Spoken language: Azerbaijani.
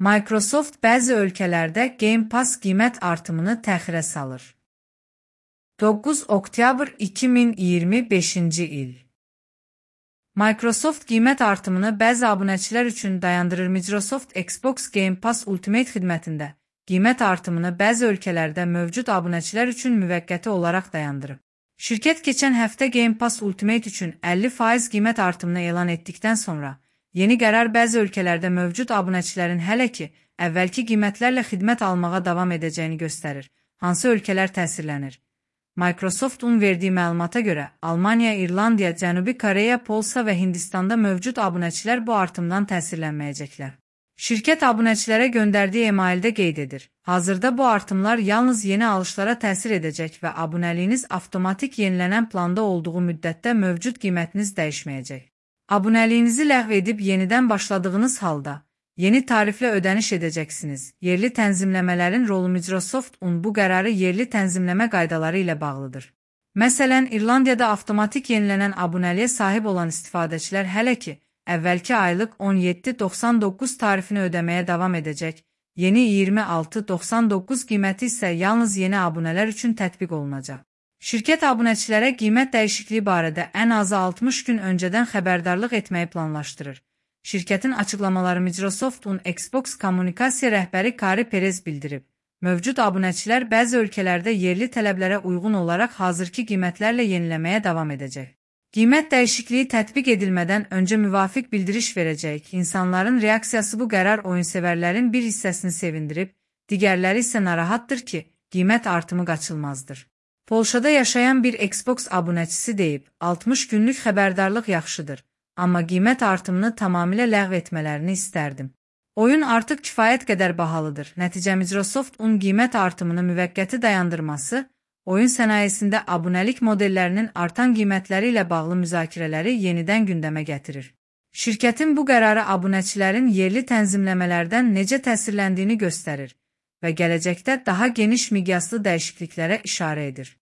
Microsoft bəzi ölkələrdə Game Pass qiymət artımını təxirə salır. 9 oktyabr 2025-ci il. Microsoft qiymət artımını bəzi abunəçilər üçün dayandırır. Microsoft Xbox Game Pass Ultimate xidmətində qiymət artımını bəzi ölkələrdə mövcud abunəçilər üçün müvəqqəti olaraq dayandırıb. Şirkət keçən həftə Game Pass Ultimate üçün 50% qiymət artımını elan etdikdən sonra, yeni qərar bəzi ölkələrdə mövcud abunəçilərin hələ ki, əvvəlki qiymətlərlə xidmət almağa davam edəcəyini göstərir. Hansı ölkələr təsirlənir? Microsoft'un verdiği məlumata görə, Almaniya, İrlandiya, Cənubi Koreya, Polsa və Hindistanda mövcud abunəçilər bu artımdan təsirlənməyəcəklər. Şirkət abunəçilərə göndərdiyi emaildə qeyd edir. Hazırda bu artımlar yalnız yeni alışlara təsir edəcək və abunəliyiniz avtomatik yenilənən planda olduğu müddətdə mövcud qiymətiniz dəyişməyəcək. Abunəliyinizi ləğv edib yenidən başladığınız halda, yeni tariflə ödəniş edəcəksiniz. Yerli tənzimləmələrin rolu Microsoft'un bu qərarı yerli tənzimləmə qaydaları ilə bağlıdır. Məsələn, İrlandiyada avtomatik yenilənən abunəliyə sahib olan istifadəçilər hələ ki, əvvəlki aylıq 17.99 tarifini ödəməyə davam edəcək. Yeni 26.99 qiyməti isə yalnız yeni abunələr üçün tətbiq olunacaq. Şirkət abunəçilərə qiymət dəyişikliyi barədə ən azı 60 gün öncədən xəbərdarlıq etməyi planlaşdırır. Şirkətin açıqlamaları Microsoft'un Xbox kommunikasiya rəhbəri Kari Perez bildirib. Mövcud abunəçilər bəzi ölkələrdə yerli tələblərə uyğun olaraq hazırki qiymətlərlə yeniləməyə davam edəcək. Qiymət dəyişikliyi tətbiq edilmədən öncə müvafiq bildiriş verəcək. İnsanların reaksiyası bu qərar oyunsevərlərin bir hissəsini sevindirib, digərləri isə narahatdır ki, qiymət artımı qaçılmazdır. Polşada yaşayan bir Xbox abunəçisi deyib, 60 günlük xəbərdarlıq yaxşıdır, amma qiymət artımını tamamilə ləğv etmələrini istərdim. Oyun artıq kifayət qədər bahalıdır. Nəticə Microsoft'un qiymət artımını müvəqqəti dayandırması, oyun sənayesində abunəlik modellərinin artan qiymətləri ilə bağlı müzakirələri yenidən gündəmə gətirir. Şirkətin bu qərarı abunəçilərin yerli tənzimləmələrdən necə təsirləndiyini göstərir və gələcəkdə daha geniş miqyaslı dəyişikliklərə işarə edir.